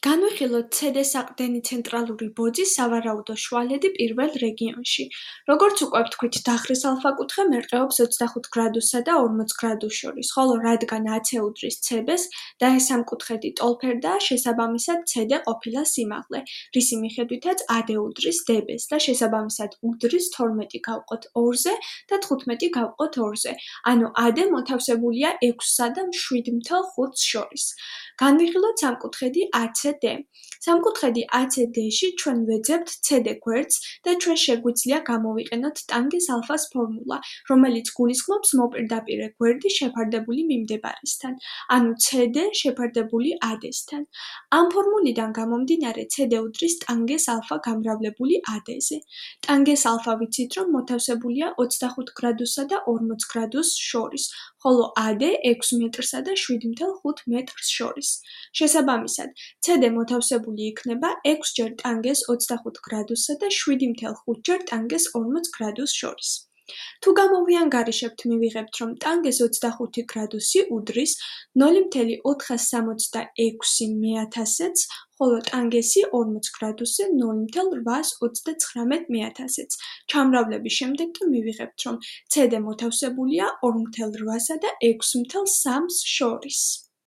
განვიხილოთ ცდ საყრდენი ცენტრალური ბოძი სავარაუდო შუალედი პირველ რეგიონში. როგორც უკვე ვთქვით, დახრის ალფა-კუთხე მერყეობს 25 გრადუსსა და 40 გრადუსს შორის, ხოლო რადგან AC უდრის CB-ს და ეს სამკუთხედი ტოლფერდაა, შესაბამისად CD ყოფილა სიმაღლე, რისი მიხედვითაც AD უდრის DB-ს და შესაბამისად უდრის 12 გავყოთ 2-ზე და 15 გავყოთ 2-ზე. ანუ AD მოთავსებულია 6-სა და 7.5-ს შორის. განვიხილოთ სამკუთხედი ACD. სამკუთხედი ACD-ში ჩვენ ვეძებთ CD გვერდს და ჩვენ შეგვიძლია გამოვიყენოთ ტანგენს ალფას ფორმულა, რომელიც გულისხმობს მოპირდაპირე გვერდი შეფარდებული მიმდებარესთან, ანუ CD შეფარდებული AD-სთან. ამ ფორმულიდან გამომდინარე CD უდრის ტანგენს ალფა გამრავლებული AD-ზე. ტანგენს ალფა ვიცით, რომ მოთავსებულია 25 გრადუსსა და 40 გრადუსს შორის, ხოლო AD 6 მეტრსა და 7.5 მეტრს შორის. შესაბამისად, CD მოთავსებული იქნება 6 ჯერ ტანგენს 25 გრადუსსა და 7.5 ჯერ ტანგენს 40 გრადუსს შორის. თუ გამოვიანგარიშებთ, მივიღებთ, რომ ტანგენს 25 გრადუსი უდრის 0.466 მეათასეთს, ხოლო ტანგენსი 40 გრადუსზე 0.829 მეათასეთს. ჩამრავლების შემდეგ კი მივიღებთ, რომ CD მოთავსებულია 2.8-სა და 6.3-ს შორის.